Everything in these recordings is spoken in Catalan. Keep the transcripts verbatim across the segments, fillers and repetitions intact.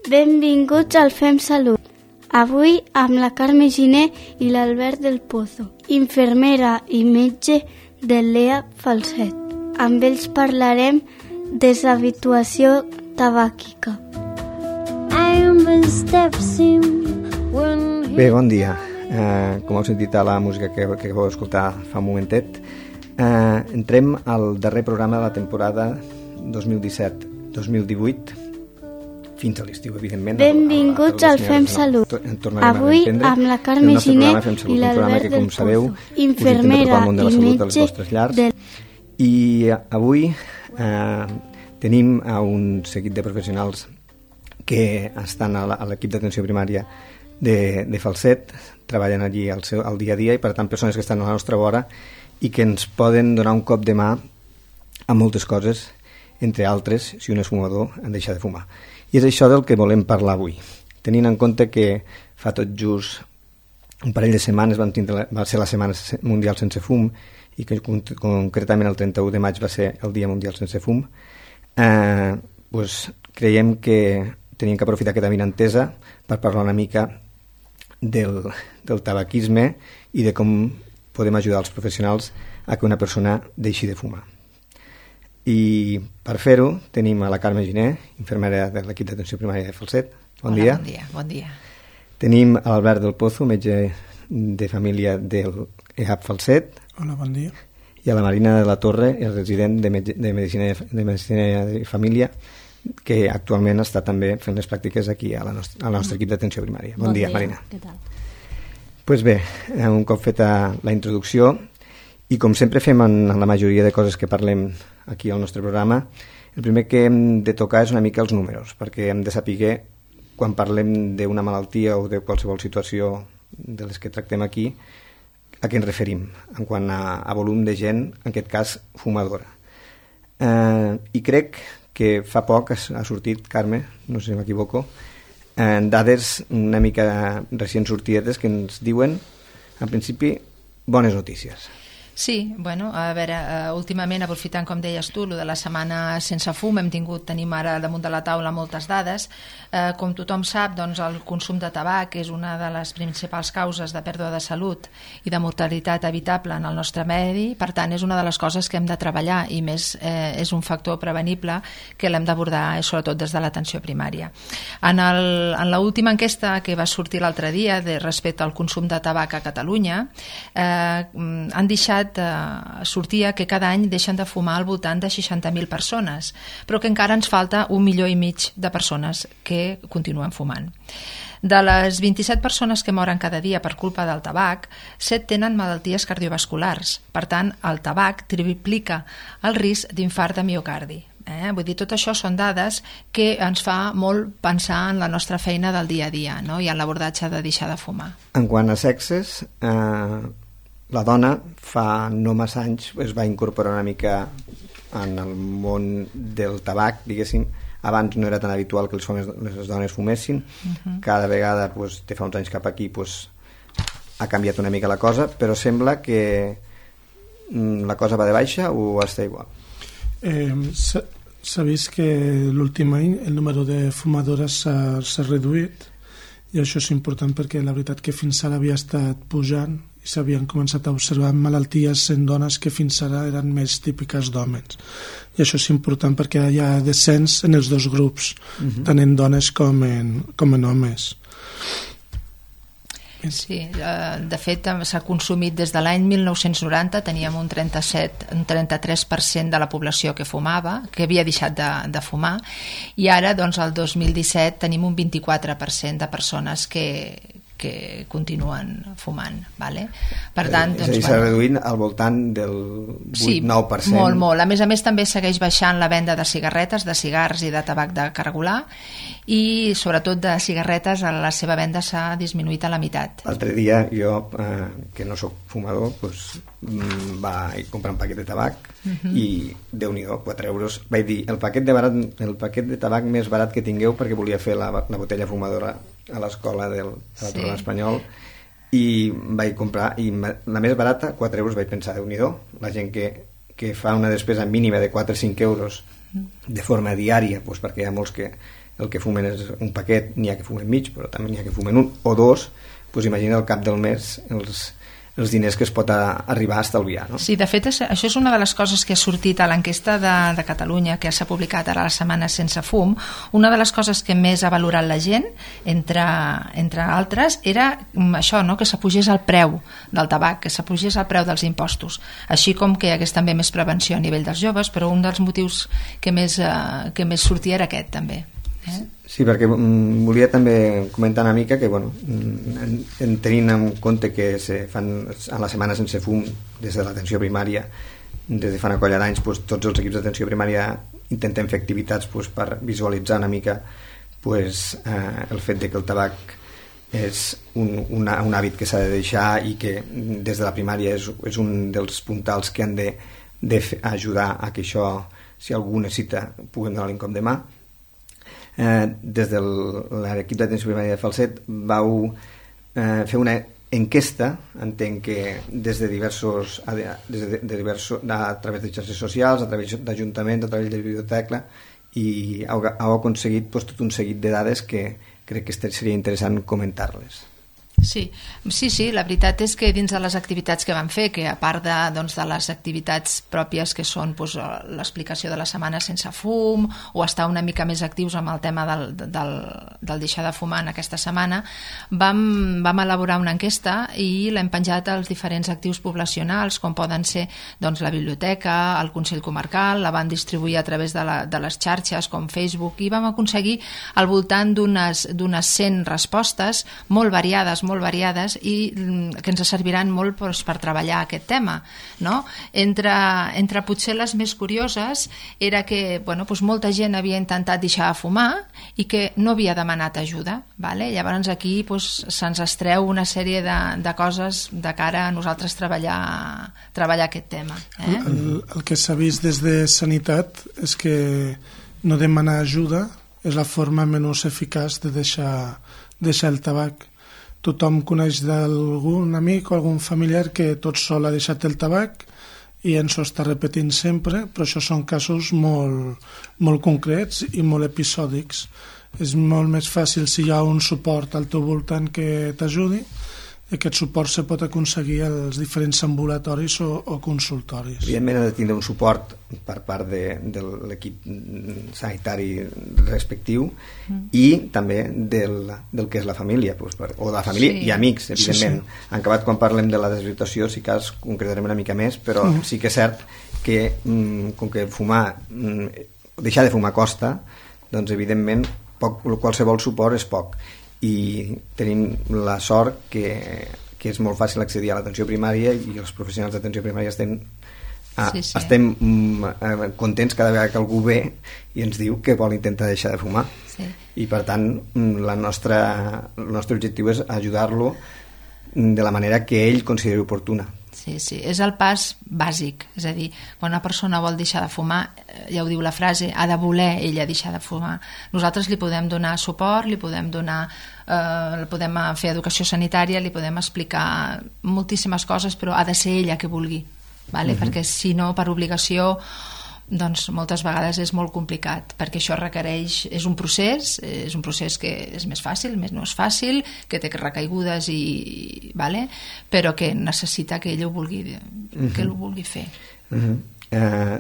Benvinguts al Fem Salut. Avui amb la Carme Giner i l'Albert del Pozo, infermera i metge de l'E A P Falset. Amb ells parlarem de deshabituació tabàquica. Bé, bon dia. Eh, com heu sentit a la música que, que vau escoltar fa un momentet, eh, entrem al darrer programa de la temporada dos mil disset dos mil divuit, fins a l'estiu, evidentment. Benvinguts al Fem Salut. Avui amb la Carme Giner i l'Albert del Pozo, infermera i metge del... I avui eh, tenim a un seguit de professionals que estan a l'equip d'atenció primària de, de Falset, treballen allí al, seu, al dia a dia, i per tant persones que estan a la nostra vora i que ens poden donar un cop de mà a moltes coses, entre altres, si un és fumador, han deixat de fumar. I és això del que volem parlar avui, tenint en compte que fa tot just un parell de setmanes vam tindre, va ser la Setmana Mundial Sense Fum, i que concretament el trenta-u de maig va ser el Dia Mundial Sense Fum. Eh, doncs creiem que tenim que aprofitar aquesta avinentesa per parlar una mica del, del tabaquisme i de com podem ajudar els professionals a que una persona deixi de fumar. I per fer-ho tenim a la Carme Giner, infermera de l'equip d'atenció primària de Falset. Bon Hola, dia. Bon dia, bon dia. Tenim a l'Albert del Pozo, metge de família del E A P Falset. Hola, bon dia. I a la Marina de la Torre, el resident de, metge, de, medicina, de medicina de família, que actualment està també fent les pràctiques aquí a la nostra, al nostre equip d'atenció primària. Bon, bon dia, dia, Marina. Què tal? Pues bé, un cop feta la introducció, i com sempre fem en, en la majoria de coses que parlem aquí al nostre programa, el primer que hem de tocar és una mica els números, perquè hem de saber, quan parlem d'una malaltia o de qualsevol situació de les que tractem aquí, a què ens referim, en quant a, a volum de gent, en aquest cas fumadora. Eh, I crec que fa poc ha sortit, Carme, no sé si m'equivoco, eh, dades una mica recient sortides que ens diuen, en principi, bones notícies. Sí, bueno, a veure, uh, últimament, aprofitant, com deies tu, lo de la setmana sense fum, hem tingut, tenim ara damunt de la taula moltes dades. Uh, com tothom sap, doncs, el consum de tabac és una de les principals causes de pèrdua de salut i de mortalitat evitable en el nostre medi, per tant, és una de les coses que hem de treballar, i més eh, és un factor prevenible que l'hem d'abordar, sobretot des de l'atenció primària. En, el, en l'última enquesta que va sortir l'altre dia de, respecte al consum de tabac a Catalunya, eh, han deixat sortia que cada any deixen de fumar al voltant de seixanta mil persones, però que encara ens falta un milió i mig de persones que continuen fumant. De les vint-i-set persones que moren cada dia per culpa del tabac, set tenen malalties cardiovasculars. Per tant, el tabac triplica el risc d'infart de miocardi. Eh? Vull dir, tot això són dades que ens fa molt pensar en la nostra feina del dia a dia, no? I en l'abordatge de deixar de fumar. En quant a sexes, eh... la dona fa no massa anys es va incorporar una mica en el món del tabac, diguéssim. Abans no era tan habitual que les, homes, les dones fumessin. Uh-huh. Cada vegada, pues, de fa uns anys cap aquí, pues, ha canviat una mica la cosa, però sembla que mm, la cosa va de baixa o està igual? Eh, s'ha vist que l'últim any el número de fumadores s'ha, s'ha reduït, i això és important perquè la veritat que fins ara havia estat pujant i s'havien començat a observar malalties en dones que fins ara eren més típiques d'homes. I això és important perquè hi ha descens en els dos grups, uh-huh. tant en dones com en, com en homes. Sí, de fet s'ha consumit des de l'any mil nou-cents noranta, teníem un trenta-set, un trenta-tres per cent de la població que fumava, que havia deixat de, de fumar, i ara, doncs, el dos mil disset tenim un vint-i-quatre per cent de persones que, que continuen fumant, vale? Per tant, doncs, és a dir, s'ha bueno, reduït al voltant del vuit nou per cent. Sí, molt, molt. A més a més també segueix baixant la venda de cigarretes, de cigars i de tabac de cargolar, i sobretot de cigarretes la seva venda s'ha disminuït a la meitat. L'altre dia jo, eh, que no sóc fumador, doncs, va comprar un paquet de tabac uh-huh. i Déu-n'hi-do, quatre euros. Vaig dir, el paquet de, barat, el paquet de tabac més barat que tingueu, perquè volia fer la, la botella fumadora a l'escola del, de la sí. Torre d'Espanyol, i vaig comprar, i la més barata, quatre euros, vaig pensar, Déu-n'hi-do, la gent que, que fa una despesa mínima de quatre o cinc euros de forma diària, doncs perquè hi ha molts que el que fumen és un paquet, n'hi ha que fumen mig, però també n'hi ha que fumen un o dos, doncs imagina al cap del mes els, els diners que es pot a, arribar a estalviar, no? Sí, de fet, això és una de les coses que ha sortit a l'enquesta de, de Catalunya, que s'ha publicat ara la setmana sense fum. Una de les coses que més ha valorat la gent, entre, entre altres, era això, no? Que s'apugés el preu del tabac, que s'apugés el preu dels impostos, així com que hi hagués també més prevenció a nivell dels joves, però un dels motius que més, eh, que més sortia era aquest, també. Eh? Sí, perquè mm, volia també comentar una mica que, bueno, en, en tenint en compte que se fan a la setmana sense fum des de l'atenció primària, des de fa una colla d'anys, pues, tots els equips d'atenció primària intentem fer activitats pues, per visualitzar una mica pues, eh, el fet de que el tabac és un, una, un hàbit que s'ha de deixar i que des de la primària és, és un dels puntals que han de, de fer, ajudar a que això, si algú necessita, puguem donar-li un cop de mà. Eh, des de l'equip d'atenció primària de Falset vau eh, fer una enquesta, entenc que des de diversos, des de, de diversos a través de xarxes socials, a través d'ajuntaments, a través de biblioteca, i heu, heu aconseguit pues, tot un seguit de dades que crec que seria interessant comentar-les. Sí, sí, sí, la veritat és que dins de les activitats que vam fer, que a part de, doncs, de les activitats pròpies que són doncs, l'explicació de la setmana sense fum o estar una mica més actius amb el tema del, del, del deixar de fumar en aquesta setmana, vam, vam elaborar una enquesta i l'hem penjat als diferents actius poblacionals, com poden ser doncs, la biblioteca, el Consell Comarcal, la van distribuir a través de, la, de les xarxes com Facebook, i vam aconseguir al voltant d'unes d'unes cent respostes molt variades, molt variades, i que ens serviran molt doncs, per treballar aquest tema, no? Entre, entre potser les més curioses era que bueno, doncs molta gent havia intentat deixar de fumar i que no havia demanat ajuda, vale? Llavors aquí doncs, se'ns estreu una sèrie de, de coses de cara a nosaltres treballar, treballar aquest tema. Eh? El, el que s'ha vist des de Sanitat és que no demanar ajuda és la forma menys eficaç de deixar, deixar el tabac. Tothom coneix d'algun amic o algun familiar que tot sol ha deixat el tabac i ens ho està repetint sempre, però això són casos molt, molt concrets i molt episòdics. És molt més fàcil si hi ha un suport al teu voltant que t'ajudi. Aquest suport se pot aconseguir als diferents ambulatoris o, o consultoris. Evidentment ha de tindre un suport per part de, de l'equip sanitari respectiu mm. i també del, del que és la família, doncs, per, o de la família sí. i amics, evidentment. Sí, sí. En acabat, quan parlem de la desvirtuació, sí que concretarem una mica més, però mm. sí que és cert que mm, com que fumar, mm, deixar de fumar costa, doncs evidentment poc, qualsevol suport és poc. I tenim la sort que, que és molt fàcil accedir a l'atenció primària i els professionals d'atenció primària estem, ah, sí, sí. estem mm, contents cada vegada que algú ve i ens diu que vol intentar deixar de fumar. Sí. I per tant la nostra, el nostre objectiu és ajudar-lo de la manera que ell consideri oportuna. Sí, sí, és el pas bàsic, és a dir, quan una persona vol deixar de fumar, ja ho diu la frase, ha de voler ella deixar de fumar. Nosaltres li podem donar suport, li podem donar, eh, podem fer educació sanitària, li podem explicar moltíssimes coses, però ha de ser ella que vulgui, vale? Uh-huh. Perquè si no, per obligació, doncs moltes vegades és molt complicat, perquè això requereix, és un procés, és un procés que és més fàcil, més no és fàcil, que té recaigudes i, vale? Però que necessita que ell ho vulgui, uh-huh. que ho vulgui fer. Uh-huh. Eh,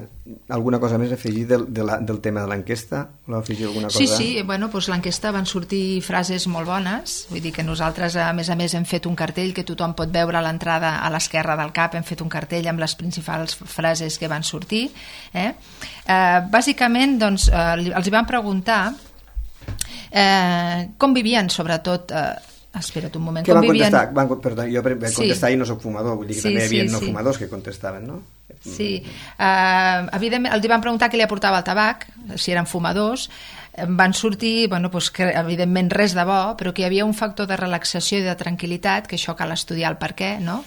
alguna cosa més a afegir del, de la, del tema de l'enquesta? Voleu afegir alguna cosa? Sí, sí, bueno, doncs l'enquesta van sortir frases molt bones, vull dir que nosaltres a més a més hem fet un cartell que tothom pot veure a l'entrada a l'esquerra del cap, hem fet un cartell amb les principals frases que van sortir. Eh? Eh, bàsicament, doncs, eh, els hi van preguntar eh, com vivien, sobretot... Eh, espera't un moment. Què van vivien... contestar? Van, perdó, jo vam contestar sí. i no soc fumador, vull dir que sí, també hi havia sí, no sí. fumadors que contestaven, no? Sí, uh, evidentment els van preguntar què li aportava el tabac, si eren fumadors, van sortir, bueno, doncs que evidentment res de bo, però que hi havia un factor de relaxació i de tranquil·litat, que això cal estudiar el per què, no?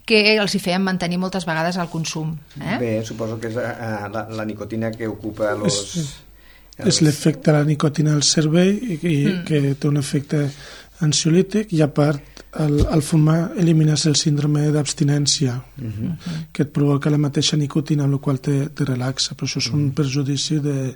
Que els hi feien mantenir moltes vegades el consum. Eh? Bé, suposo que és uh, la, la nicotina que ocupa los... És, és l'efecte de la nicotina al cervell i, i mm. que té un efecte ansiolític, i a part el, el fumar elimines el síndrome d'abstinència uh-huh. que et provoca la mateixa nicotina, amb la qual te, te relaxa, però això és un perjudici de,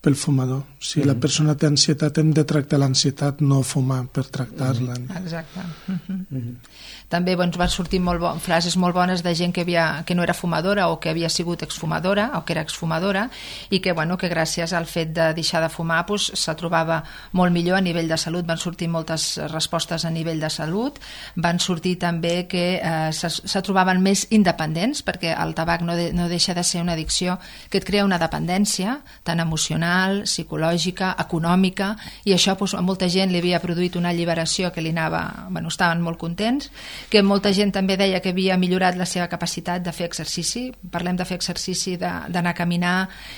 pel fumador. Si mm-hmm. la persona té ansietat, hem de tractar l'ansietat, no fumar per tractar-la. Mm-hmm. Exacte. Mm-hmm. Mm-hmm. També doncs, van sortir molt bo, frases molt bones de gent que, havia, que no era fumadora o que havia sigut exfumadora o que era exfumadora i que, bueno, que gràcies al fet de deixar de fumar doncs, se trobava molt millor a nivell de salut. Van sortir moltes respostes a nivell de salut. Van sortir també que eh, se, se trobaven més independents, perquè el tabac no, de, no deixa de ser una addicció que et crea una dependència tant emocional, psicològica, econòmica, i això doncs, a molta gent li havia produït una alliberació que li anava, bueno, estaven molt contents, que molta gent també deia que havia millorat la seva capacitat de fer exercici. Parlem de fer exercici, d'anar a caminar,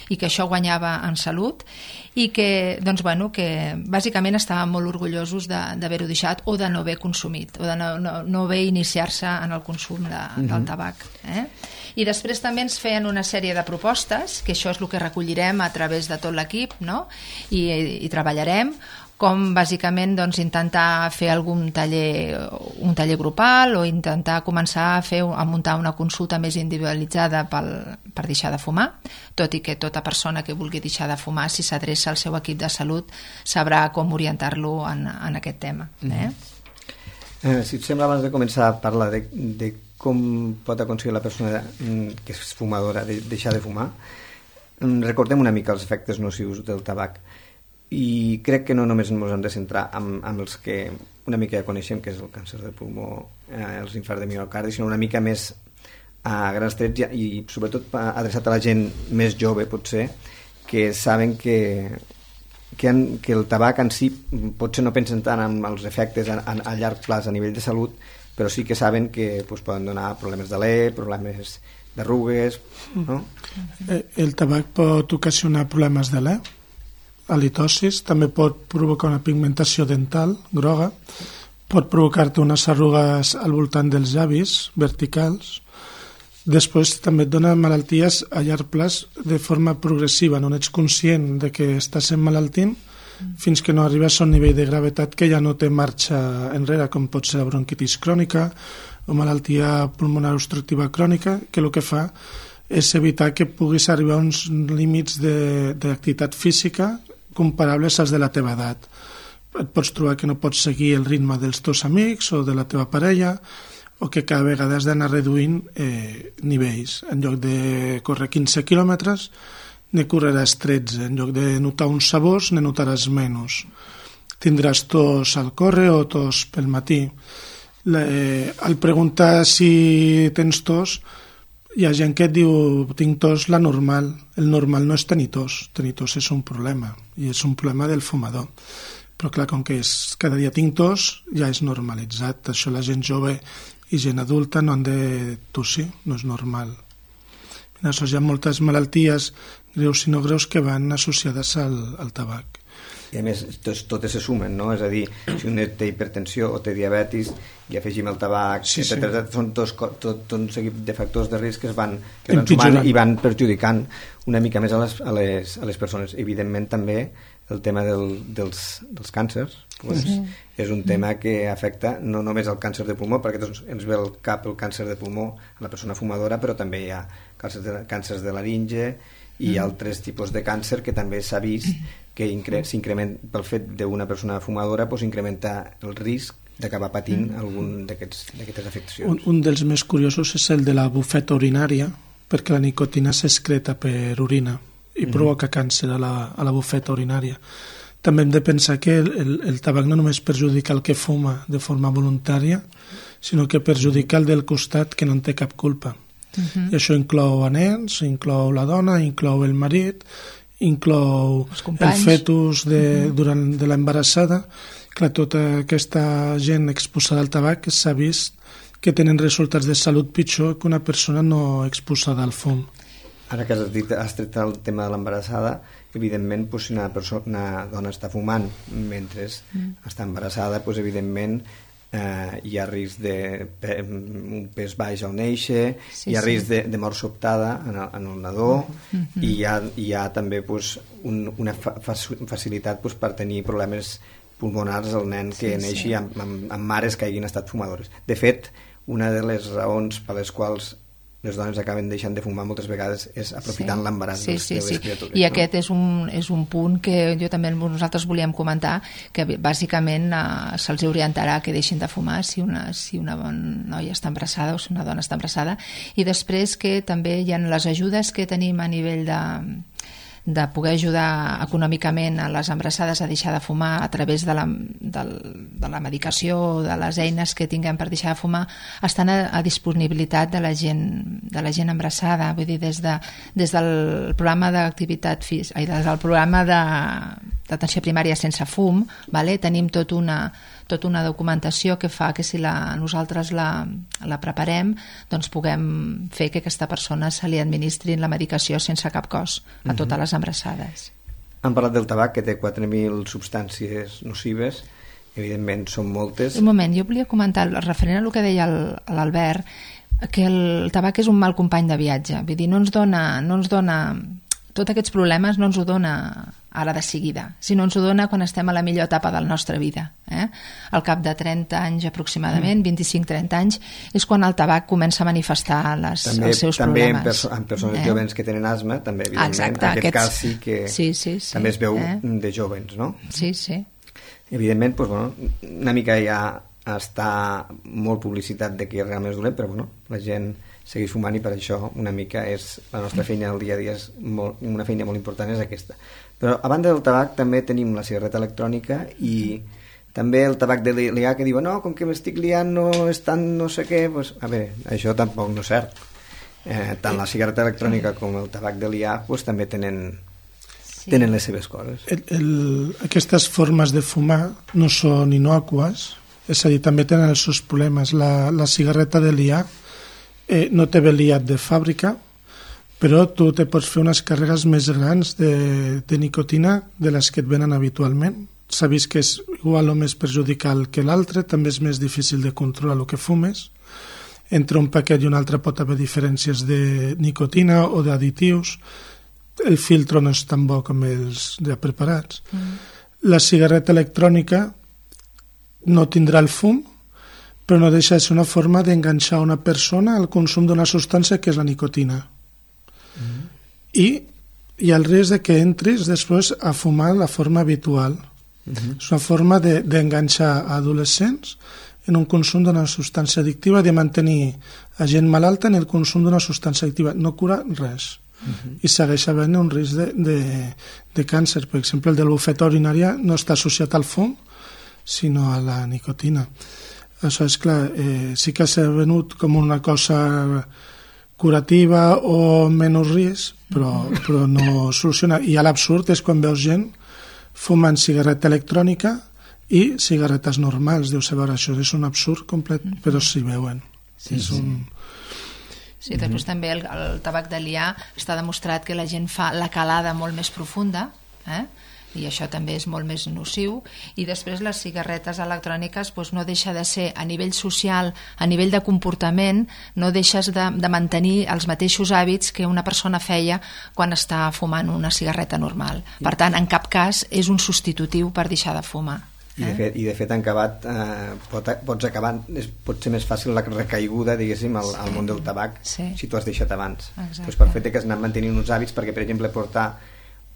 i que això guanyava en salut, i que, doncs, bueno, que bàsicament estaven molt orgullosos d'haver-ho deixat o de no haver consumit, o de no, no, no haver iniciar-se en el consum de, mm-hmm. del tabac. Eh? I després també ens feien una sèrie de propostes, que això és el que recollirem a través de tot l'equip, no? I, i treballarem, com bàsicament doncs, intentar fer algun taller, un taller grupal, o intentar començar a, fer, a muntar una consulta més individualitzada pel, per deixar de fumar, tot i que tota persona que vulgui deixar de fumar, si s'adreça al seu equip de salut, sabrà com orientar-lo en, en aquest tema. Eh? Mm-hmm. eh, si et sembla, abans de començar a parlar de, de com pot aconseguir la persona que és fumadora de deixar de fumar, recordem una mica els efectes nocius del tabac. I crec que no només ens hem de centrar amb, amb els que una mica ja coneixem, que és el càncer de pulmó, eh, els infarts de miocardi, sinó una mica més a grans trets i, i sobretot adreçat a la gent més jove, potser, que saben que, que, han, que el tabac en si potser no pensen tant en els efectes a, a, a llarg plaç a nivell de salut, però sí que saben que pues, poden donar problemes d'alè, problemes d'arrugues, no? El tabac pot ocasionar problemes d'alè, halitosis, també pot provocar una pigmentació dental groga, pot provocar-te unes arrugues al voltant dels llavis verticals. Després també et dona malalties a llarg plaç de forma progressiva, no ets conscient de que estàs emmalaltint fins que no arribes a un nivell de gravetat que ja no té marxa enrere, com pot ser la bronquitis crònica o malaltia pulmonar obstructiva crònica, que el que fa és evitar que puguis arribar a uns límits d'activitat física comparables als de la teva edat. Et pots trobar que no pots seguir el ritme dels teus amics o de la teva parella, o que cada vegada has d'anar reduint eh, nivells. En lloc de córrer quinze quilòmetres, ne correràs tretze. En lloc de notar uns sabors, ne notaràs menys. Tindràs tos al córrer o tos pel matí. La, eh, al preguntar si tens tos, hi ha gent que et diu tinc tos la normal. El normal no és tenir tos, tenir tos és un problema, i és un problema del fumador. Però clar, com que és, cada dia tinc tos, ja és normalitzat. Això la gent jove i gent adulta no han de tossir, no és normal. Hi ha moltes malalties greus i no greus que van associades al, al tabac. I a més, totes, totes se sumen, no? És a dir, si un té hipertensió o té diabetis i afegim el tabac, sí, sí. etcètera, són tots, tot, tot un seguit de factors de risc que es van, que van sumant i van perjudicant una mica més a les, a les, a les persones. Evidentment també el tema del, dels, dels càncers pues, uh-huh. és un tema que afecta no només el càncer de pulmó, perquè doncs, ens ve al cap el càncer de pulmó a la persona fumadora, però també hi ha càncers de, càncers de laringe i uh-huh. altres tipus de càncer que també s'ha vist que s'incrementa pel fet d'una persona fumadora, doncs incrementa el risc d'acabar patint algun d'aquestes afeccions. Un, un dels més curiosos és el de la bufeta urinària, perquè la nicotina s'excreta per orina i mm. provoca càncer a la, a la bufeta urinària. També hem de pensar que el, el, el tabac no només perjudica el que fuma de forma voluntària, sinó que perjudica el del costat que no en té cap culpa. Mm-hmm. I això inclou a nens, inclou la dona, inclou el marit, inclou el fetus de, mm-hmm. durant de l'embarassada. Clar, tota aquesta gent exposada al tabac s'ha vist que tenen resultats de salut pitjor que una persona no exposada al fum. Ara que has dit, has tret el tema de l'embarassada, evidentment, doncs, si una, persona, una dona està fumant mentre mm. està embarassada, doncs, evidentment, eh, hi ha risc de pe, un pes baix al néixer, sí, hi ha sí. risc de, de mort sobtada en el, en el nadó, mm-hmm. i hi ha, hi ha també doncs, un, una fa, facilitat doncs, per tenir problemes pulmonars al nen que sí, neixi sí. amb, amb, amb mares que hagin estat fumadores. De fet, una de les raons per les quals les dones acaben deixant de fumar moltes vegades és aprofitant sí. l'embaràs sí, de, sí, de les sí. criatures. I no? aquest és un, és un punt que jo també nosaltres volíem comentar, que bàsicament eh, se'ls orientarà que deixin de fumar si una, si una noia està embarassada o si una dona està embarassada, i després que també hi ha les ajudes que tenim a nivell de de poder ajudar econòmicament a les embarassades a deixar de fumar a través de la, de, de la medicació o de les eines que tinguem per deixar de fumar, estan a, a disponibilitat de la gent de la gent embarassada, vull dir, des, de, des del programa d'activitat física, ai, des del programa de, d'atenció primària sense fum, vale? Tenim tot una tota una documentació que fa que si la, nosaltres la, la preparem, doncs puguem fer que aquesta persona se li administrin la medicació sense cap cost a totes les embarassades. Han parlat del tabac, que té quatre mil substàncies nocives, evidentment són moltes. Un moment, jo volia comentar, referent a el que deia l'Albert, que el tabac és un mal company de viatge, vull dir, no ens dona, no ens dona tots aquests problemes no ens ho dona ara de seguida, sinó ens ho dona quan estem a la millor etapa de la nostra vida. Eh? Al cap de trenta anys aproximadament, mm. vint-i-cinc a trenta anys, és quan el tabac comença a manifestar les, també, els seus també problemes. També en, perso en persones eh? joves que tenen asma, també, evidentment, exacte, en aquest aquests... cas sí que sí, sí, sí, també es veu eh? de jovens, no? Sí, sí. Evidentment, doncs, bueno, una mica ja està molt publicitat de que realment és dolent, però bueno, la gent segueix fumant i per això una mica és la nostra feina del dia a dia, és molt, una feina molt important és aquesta. Però a banda del tabac també tenim la cigarreta electrònica i també el tabac de liar, que diuen no, com que m'estic liant no és tan no sé què, pues, a veure, això tampoc no és cert. Eh, tant la cigarreta electrònica com el tabac de liar pues, també tenen, sí. tenen les seves coses. El, el, aquestes formes de fumar no són innòcues, és a dir, també tenen els seus problemes. La, la cigarreta de liar eh, no té veliat de fàbrica, però tu te pots fer unes càrregues més grans de, de nicotina de les que et venen habitualment. S'ha vist que és igual o més perjudicial que l'altre, també és més difícil de controlar el que fumes. Entre un paquet i un altre pot haver diferències de nicotina o d'additius. El filtre no és tan bo com els ja preparats. Mm. La cigarreta electrònica no tindrà el fum, però no deixa de ser una forma d'enganxar una persona al consum d'una substància que és la nicotina. Mm. I hi ha el risc de que entris després a fumar la forma habitual. Mm-hmm. És una forma d'enganxar de, adolescents en un consum d'una substància addictiva, de mantenir a gent malalta en el consum d'una substància addictiva. No cura res. Mm-hmm. I segueix havent un risc de, de, de càncer. Per exemple, el de la bufeta urinària no està associat al fum, sinó a la nicotina. Això és clar, eh, sí que s'ha venut com una cosa curativa o menys risc, però, però no soluciona. I l'absurd és quan veus gent fumant cigarreta electrònica i cigarretes normals. Deus saber, això és un absurd complet, però s'hi veuen. Sí, és un... Sí, després també el, el tabac de liar està demostrat que la gent fa la calada molt més profunda, eh? I això també és molt més nociu. I després les cigarretes electròniques doncs no deixa de ser, a nivell social, a nivell de comportament, no deixes de, de mantenir els mateixos hàbits que una persona feia quan està fumant una cigarreta normal. Per tant, en cap cas és un substitutiu per deixar de fumar. I de fet, i de fet en acabat eh, pot, pots acabar, és, pot ser més fàcil la recaiguda, diguéssim, al, sí. al món del tabac, sí. si tu has deixat abans. Pues per fet que has anat mantenint uns hàbits, perquè per exemple portar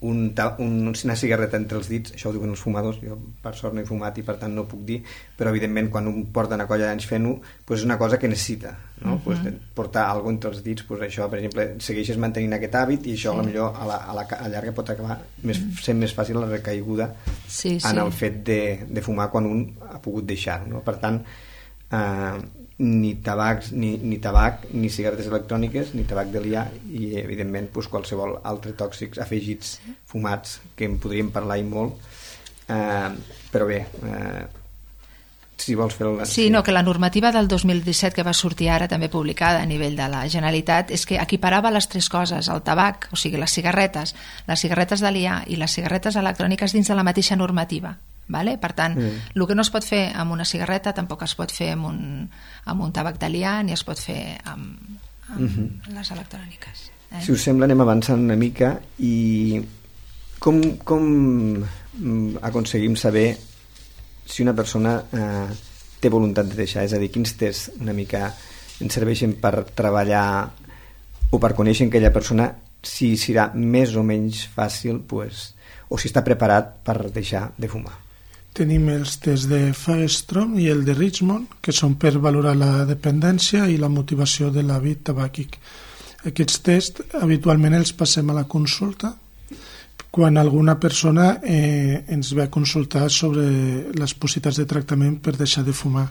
un, un, una cigarreta entre els dits, això ho diuen els fumadors, jo per sort no he fumat i per tant no ho puc dir, però evidentment quan un porta una colla d'anys fent-ho, pues és una cosa que necessita, no? Uh -huh. pues portar alguna cosa entre els dits, pues això, per exemple, segueixes mantenint aquest hàbit i això sí. potser a la, a la a llarga pot acabar més, sent més fàcil la recaiguda sí, sí. en el fet de, de fumar quan un ha pogut deixar, no? Per tant, eh, ni tabacs, ni, ni tabac, ni cigarretes electròniques, ni tabac de liar i evidentment pues, qualsevol altre tòxics afegits, fumats, que en podríem parlar i molt, eh, però bé, eh, si vols fer el... Sí, no, que la normativa del dos mil disset que va sortir ara, també publicada a nivell de la Generalitat, és que equiparava les tres coses, el tabac, o sigui, les cigarretes, les cigarretes de liar i les cigarretes electròniques dins de la mateixa normativa. Vale? Per tant, mm. el que no es pot fer amb una cigarreta tampoc es pot fer amb un, amb un tabac de liar ni es pot fer amb, amb mm -hmm. les electròniques. Eh? Si us sembla, anem avançant una mica i com, com aconseguim saber si una persona eh, té voluntat de deixar? És a dir, quins tests una mica ens serveixen per treballar o per conèixer aquella persona si serà més o menys fàcil, pues, o si està preparat per deixar de fumar. Tenim els tests de Fagerström i el de Richmond, que són per valorar la dependència i la motivació de l'hàbit tabàquic. Aquests tests habitualment els passem a la consulta quan alguna persona eh, ens ve a consultar sobre les possibilitats de tractament per deixar de fumar.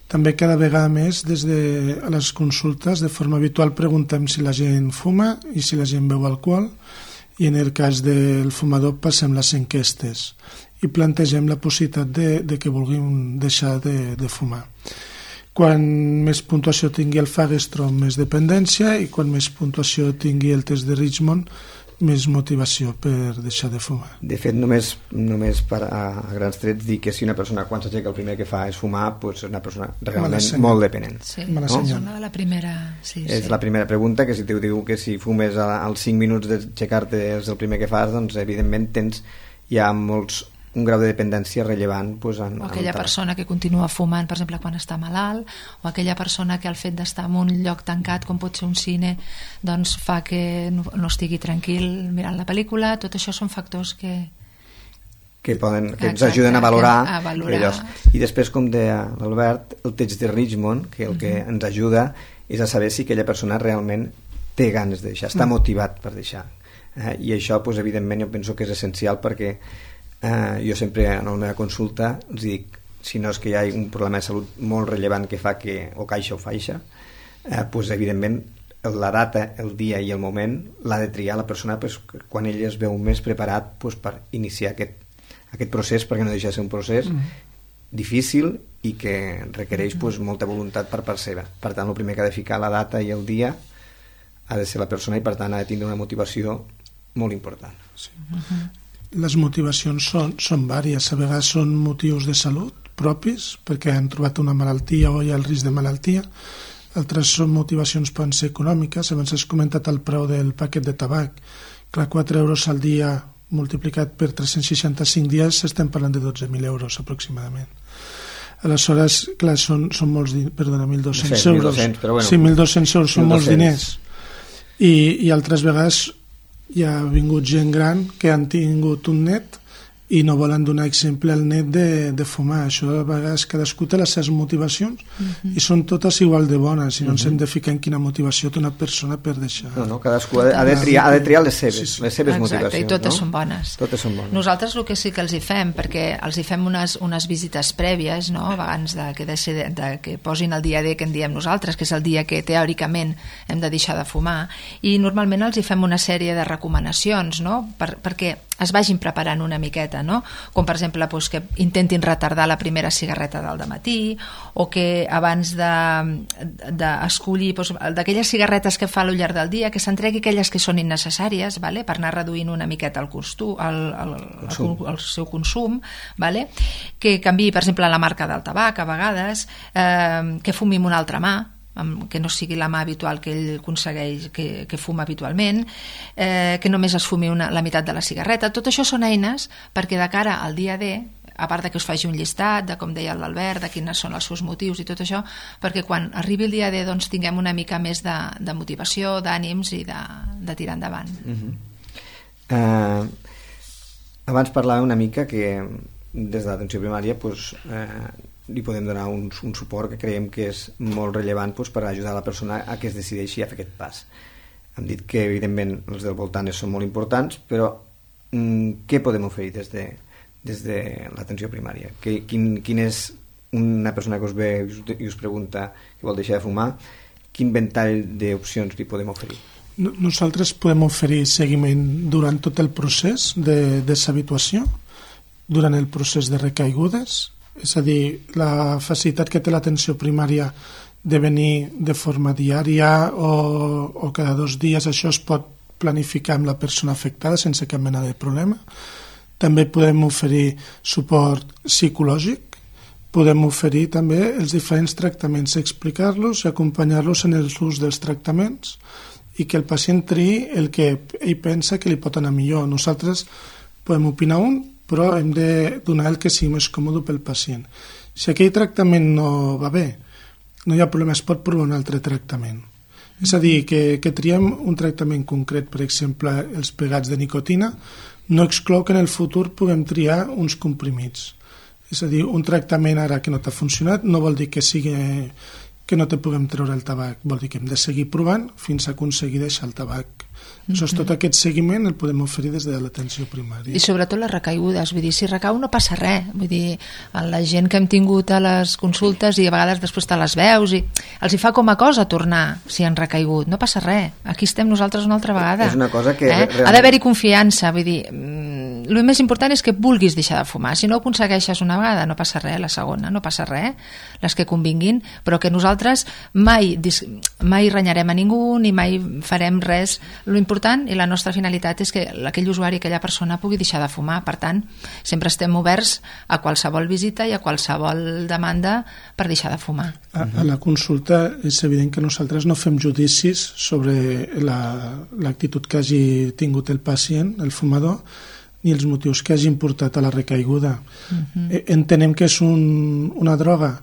També cada vegada més des de les consultes de forma habitual preguntem si la gent fuma i si la gent beu alcohol, i en el cas del fumador passem les enquestes i plantegem la possibilitat de, de que vulguin deixar de, de fumar. Quan més puntuació tingui el Fagerström, més dependència, i quan més puntuació tingui el test de Richmond, més motivació per deixar de fumar. De fet, només, només per a, a grans trets dir que si una persona quan s'aixeca el primer que fa és fumar, pues és una persona realment molt dependent. Sí, no? és una de la primera... Sí, és sí. la primera pregunta, que si t'ho diu que si fumes als cinc minuts d'aixecar-te és el primer que fas, doncs evidentment tens ja molts un grau de dependència rellevant. Pues, en, o aquella persona que continua fumant, per exemple, quan està malalt, o aquella persona que el fet d'estar en un lloc tancat, com pot ser un cine, doncs fa que no, no estigui tranquil mirant la pel·lícula. Tot això són factors que... que, poden, que ens Exacte, ajuden a valorar, a valorar. Allòs. I després, com deia l'Albert, el test de Richmond, que el que uh-huh. ens ajuda és a saber si aquella persona realment té ganes de deixar, està uh-huh. motivat per deixar. Eh, I això, pues, evidentment, jo penso que és essencial, perquè Uh, jo sempre en la meva consulta els dic, si no és que hi ha un problema de salut molt rellevant que fa que o caixa o faixa, uh, pues, evidentment la data, el dia i el moment l'ha de triar la persona, pues, quan ell es veu més preparat, pues, per iniciar aquest, aquest procés, perquè no deixa de ser un procés mm. difícil i que requereix, pues, molta voluntat per part seva. Per tant, el primer que ha de ficar la data i el dia ha de ser la persona, i per tant ha de tindre una motivació molt important. Sí. Uh-huh. Les motivacions són, són vàries, a vegades són motius de salut propis, perquè han trobat una malaltia o hi ha el risc de malaltia, altres són motivacions poden ser econòmiques. Abans has comentat el preu del paquet de tabac, clar, quatre euros al dia multiplicat per tres-cents seixanta-cinc dies estem parlant de dotze mil euros aproximadament. Aleshores, clar, són, són molts diners, perdona, mil dos-cents euros. mil dos-cents, però bueno, sí, mil dos-cents euros són molts diners. I, i altres vegades hi ha vingut gent gran que han tingut un net i no volen donar exemple al net de, de fumar. Això a vegades cadascú té les seves motivacions uh-huh. i són totes igual de bones, i no uh-huh. ens hem de ficar en quina motivació té una persona per deixar. No, no, cadascú ha de, ha de, triar, ha de triar les seves, sí, sí. les seves Exacte, motivacions. i totes no? són bones. Totes són bones. Nosaltres el que sí que els hi fem, perquè els hi fem unes, unes visites prèvies, no? Abans de que, de, ser, de que posin el dia D que en diem nosaltres, que és el dia que teòricament hem de deixar de fumar, i normalment els hi fem una sèrie de recomanacions, no? per, perquè es vagin preparant una miqueta, no? Com per exemple doncs, que intentin retardar la primera cigarreta del dematí, o que abans d'escollir de, de d'aquelles cigarretes que fa al llarg del dia, que s'entregui aquelles que són innecessàries, vale? Per anar reduint una miqueta el, costu, el, el, el, el seu consum, vale? Que canviï per exemple la marca del tabac a vegades, eh, que fumi amb una altra mà, que no sigui la mà habitual que ell aconsegueix, que, que fuma habitualment, eh, que només es fumi una, la meitat de la cigarreta. Tot això són eines perquè de cara al dia D, a part de que us faci un llistat de, com deia l'Albert, de quins són els seus motius i tot això, perquè quan arribi el dia D doncs, tinguem una mica més de, de motivació, d'ànims i de, de tirar endavant. Uh-huh. uh, abans parlava una mica que des de l'atenció primària pues, uh, li podem donar un, un suport que creiem que és molt rellevant pues, per ajudar la persona a que es decideixi a fer aquest pas. Hem dit que evidentment els del voltant són molt importants, però mm, què podem oferir des de, des de l'atenció primària? Que, quin, quin és una persona que us ve i us, i us pregunta que vol deixar de fumar, quin ventall d'opcions li podem oferir? Nosaltres podem oferir seguiment durant tot el procés de deshabituació, durant el procés de recaigudes, és a dir, la facilitat que té l'atenció primària de venir de forma diària o, o cada dos dies, això es pot planificar amb la persona afectada sense cap mena de problema. També podem oferir suport psicològic, podem oferir també els diferents tractaments, explicar-los i acompanyar-los en el ús dels tractaments i que el pacient triï el que ell pensa que li pot anar millor. Nosaltres podem opinar un, però hem de donar el que sigui més còmode pel pacient. Si aquell tractament no va bé, no hi ha problema, es pot provar un altre tractament. És a dir, que, que triem un tractament concret, per exemple, els pegats de nicotina, no exclou que en el futur puguem triar uns comprimits. És a dir, un tractament ara que no t'ha funcionat no vol dir que sigui que no te puguem treure el tabac, vol dir que hem de seguir provant fins a aconseguir deixar el tabac. Mm-hmm. Tot aquest seguiment el podem oferir des de l'atenció primària. I sobretot les recaigudes, vull dir, si recau no passa res, vull dir, la gent que hem tingut a les consultes i a vegades després te les veus i els hi fa com a cosa tornar si han recaigut, no passa res, aquí estem nosaltres una altra vegada. És una cosa que... Eh? Realment... Ha d'haver-hi confiança, vull dir, el més important és que vulguis deixar de fumar, si no ho aconsegueixes una vegada no passa res, la segona no passa res, les que convinguin, però que nosaltres mai, mai renyarem a ningú ni mai farem res. Lo important i la nostra finalitat és que aquell usuari, aquella persona pugui deixar de fumar. Per tant, sempre estem oberts a qualsevol visita i a qualsevol demanda per deixar de fumar. A, a la consulta és evident que nosaltres no fem judicis sobre l'actitud la, que hagi tingut el pacient, el fumador, ni els motius que hagin portat a la recaiguda. Uh-huh. Entenem que és un, una droga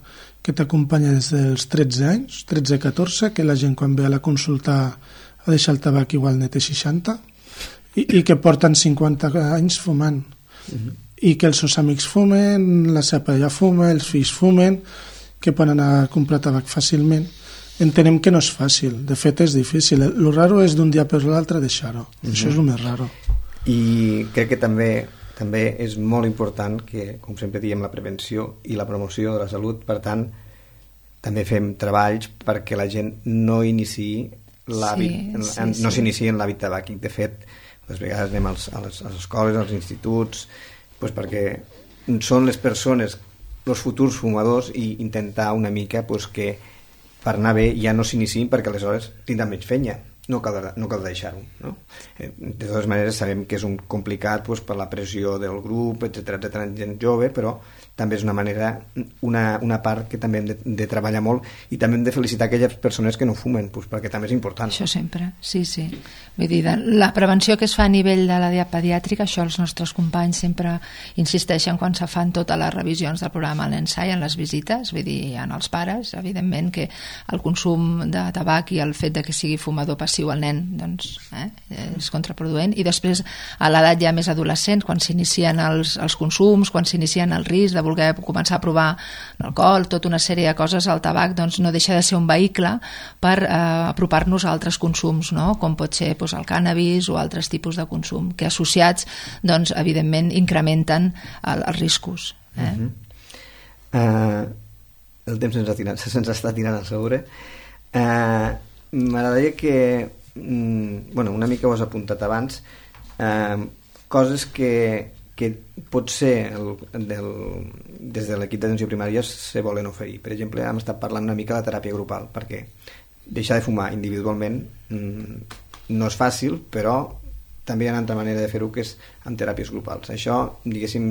que t'acompanya des dels tretze anys, tretze a catorze, que la gent quan ve a la consulta a deixar el tabac igual net té seixanta, i, i que porten cinquanta anys fumant. Uh-huh. I que els seus amics fumen, la seva parella fuma, els fills fumen, que poden anar a comprar tabac fàcilment. Entenem que no és fàcil, de fet és difícil. El raro és d'un dia per l'altre deixar-ho. Uh-huh. Això és el més raro. I crec que també també és molt important que, com sempre diem, la prevenció i la promoció de la salut. Per tant, també fem treballs perquè la gent no iniciï l'hàbit, sí, sí, no s'inicia en l'hàbit tabàquic. De fet, les vegades anem als, a, les, a les escoles, als instituts, doncs perquè són les persones, els futurs fumadors, i intentar una mica doncs, que per anar bé ja no s'iniciïn, perquè aleshores tindran menys fenya. No cal, no cal deixar-ho, no? De totes maneres sabem que és un complicat doncs, per la pressió del grup, etcètera, etcètera, gent jove, però també és una manera, una, una part que també hem de, de treballar molt, i també hem de felicitar aquelles persones que no fumen, doncs, perquè també és important. Això sempre, sí, sí. Vull dir, la prevenció que es fa a nivell de la dieta pediàtrica, això els nostres companys sempre insisteixen quan se fan totes les revisions del programa a l'ensai, en les visites, vull dir, en els pares, evidentment que el consum de tabac i el fet de que sigui fumador passiu al nen, doncs, eh, és contraproduent. I després, a l'edat ja més adolescent, quan s'inicien els, els consums, quan s'inicien el risc de voler començar a provar l'alcohol, tota una sèrie de coses, el tabac doncs, no deixa de ser un vehicle per eh, apropar-nos a altres consums, no? Com pot ser doncs, el cànnabis o altres tipus de consum, que associats, doncs, evidentment, incrementen el, els riscos. Eh? Uh-huh. uh, el temps se'ns, tirant, se'ns està tirant a sobre. Uh, m'agradaria que mm, bueno, una mica ho has apuntat abans, uh, coses que que potser el, del, des de l'equip d'atenció primària se volen oferir. Per exemple, hem estat parlant una mica de teràpia grupal, perquè deixar de fumar individualment mmm, no és fàcil, però també hi ha una altra manera de fer-ho, que és amb teràpies grupals. Això, diguéssim,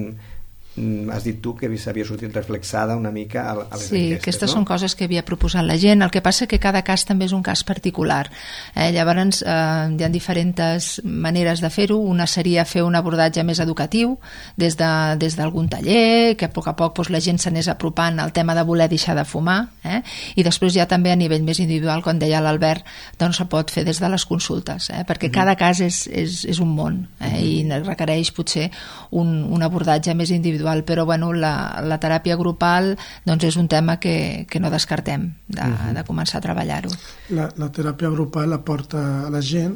has dit tu que s'havia sortit reflexada una mica a, a les sí, enquestes, aquestes no? Són coses que havia proposat la gent. El que passa que cada cas també és un cas particular. Eh, llavors, eh, hi ha diferents maneres de fer-ho. Una seria fer un abordatge més educatiu des de, des d'algun taller, que a poc a poc doncs, la gent s'anés apropant al tema de voler deixar de fumar. Eh? I després ja també a nivell més individual, com deia l'Albert, doncs se pot fer des de les consultes, eh? Perquè mm-hmm. cada cas és, és, és un món, eh? Mm-hmm. I requereix potser un, un abordatge més individual, però bueno, la, la teràpia grupal doncs és un tema que, que no descartem de, uh-huh. de començar a treballar-ho. La, la teràpia grupal aporta a la gent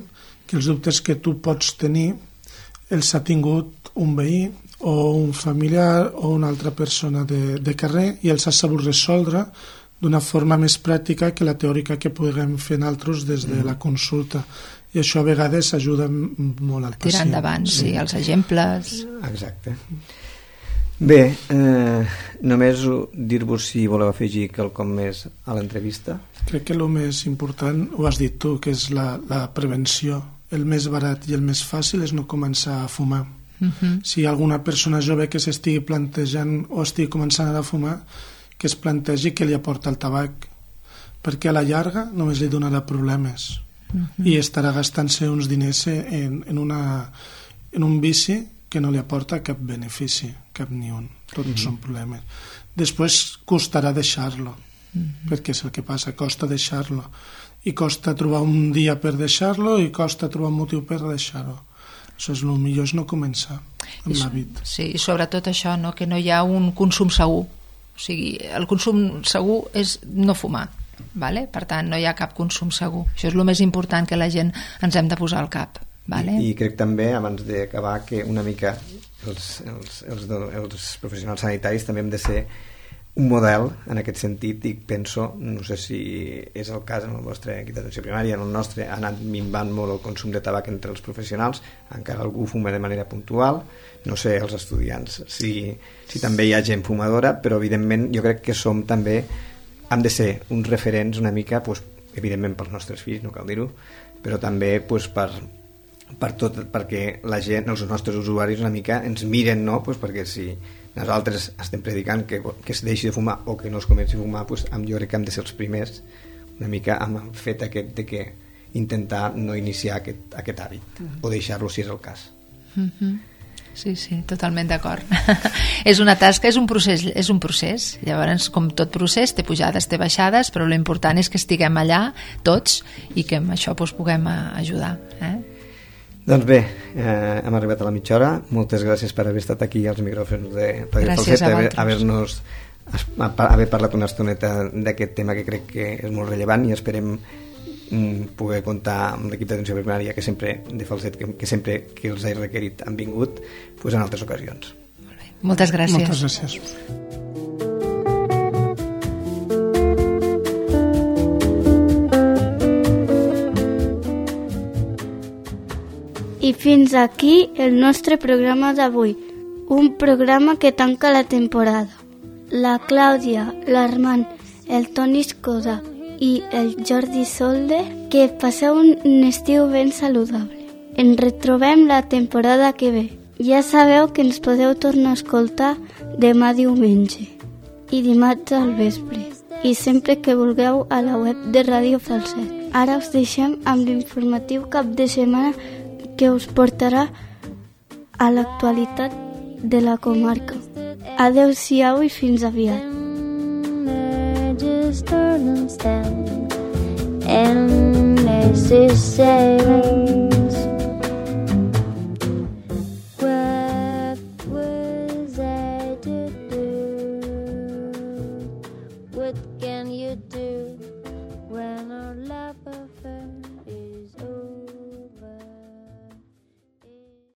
que els dubtes que tu pots tenir els ha tingut un veí o un familiar o una altra persona de, de carrer i els ha sabut resoldre d'una forma més pràctica que la teòrica que puguem fer nosaltres des de la consulta. I això a vegades ajuda molt al pacient. Tirar endavant, sí, sí, els exemples. Exacte. Bé, eh, només dir-vos si voleu afegir quelcom més a l'entrevista. Crec que el més important ho has dit tu, que és la, la prevenció. El més barat i el més fàcil és no començar a fumar. Uh-huh. Si hi ha alguna persona jove que s'estigui plantejant o estigui començant a fumar, que es plantegi què li aporta el tabac, perquè a la llarga només li donarà problemes. Uh-huh. I estarà gastant-se uns diners en, en, una, en un vici que no li aporta cap benefici, cap ni un. Tots mm-hmm. són problemes. Després costarà deixar-lo, mm-hmm. perquè és el que passa, costa deixar-lo. i costa trobar un dia per deixar-lo i costa trobar un motiu per deixar-ho. Això és el millor, és no començar amb l'hàbit. Sí, i sobretot això, no? Que no hi ha un consum segur. O sigui, el consum segur és no fumar, vale? Per tant, no hi ha cap consum segur. Això és el més important que la gent ens hem de posar al cap. Vale? I, I crec també, abans d'acabar, que una mica els, els, els, els professionals sanitaris també hem de ser un model en aquest sentit, i penso, no sé si és el cas en el vostre equip d'atenció primària, en el nostre ha anat minvant molt el consum de tabac entre els professionals, encara algú fuma de manera puntual, no sé els estudiants si, si també hi ha gent fumadora, però evidentment jo crec que som també, hem de ser uns referents una mica, pues, evidentment pels nostres fills, no cal dir-ho, però també pues, per, per tot, perquè la gent, els nostres usuaris una mica ens miren, no? Pues perquè si nosaltres estem predicant que, que es deixi de fumar o que no es comenci a fumar, pues, jo crec que hem de ser els primers una mica amb el fet aquest de que intentar no iniciar aquest, aquest hàbit mm-hmm. o deixar-lo si és el cas. Mm-hmm. Sí, sí, totalment d'acord. És una tasca, és un procés, és un procés. Llavors, com tot procés, té pujades, té baixades, però l'important és que estiguem allà tots i que amb això doncs, puguem ajudar. Eh? Doncs bé, eh, hem arribat a la mitja hora. Moltes gràcies per haver estat aquí als micròfons de Radio Falset, haver, haver-nos haver parlat una estoneta d'aquest tema que crec que és molt rellevant, i esperem mm, poder comptar amb l'equip d'atenció primària que sempre de Falset, que, que sempre que els he requerit han vingut, pues, en altres ocasions. Molt bé. Moltes gràcies. Moltes gràcies. I fins aquí el nostre programa d'avui, un programa que tanca la temporada. La Clàudia, l'Armand, el Toni Escoda i el Jordi Solde, que passeu un estiu ben saludable. Ens retrobem la temporada que ve. Ja sabeu que ens podeu tornar a escoltar demà diumenge i dimarts al vespre, i sempre que vulgueu a la web de Ràdio Falset. Ara us deixem amb l'informatiu cap de setmana que us portarà a l'actualitat de la comarca. Adeu-siau i fins aviat. And necessary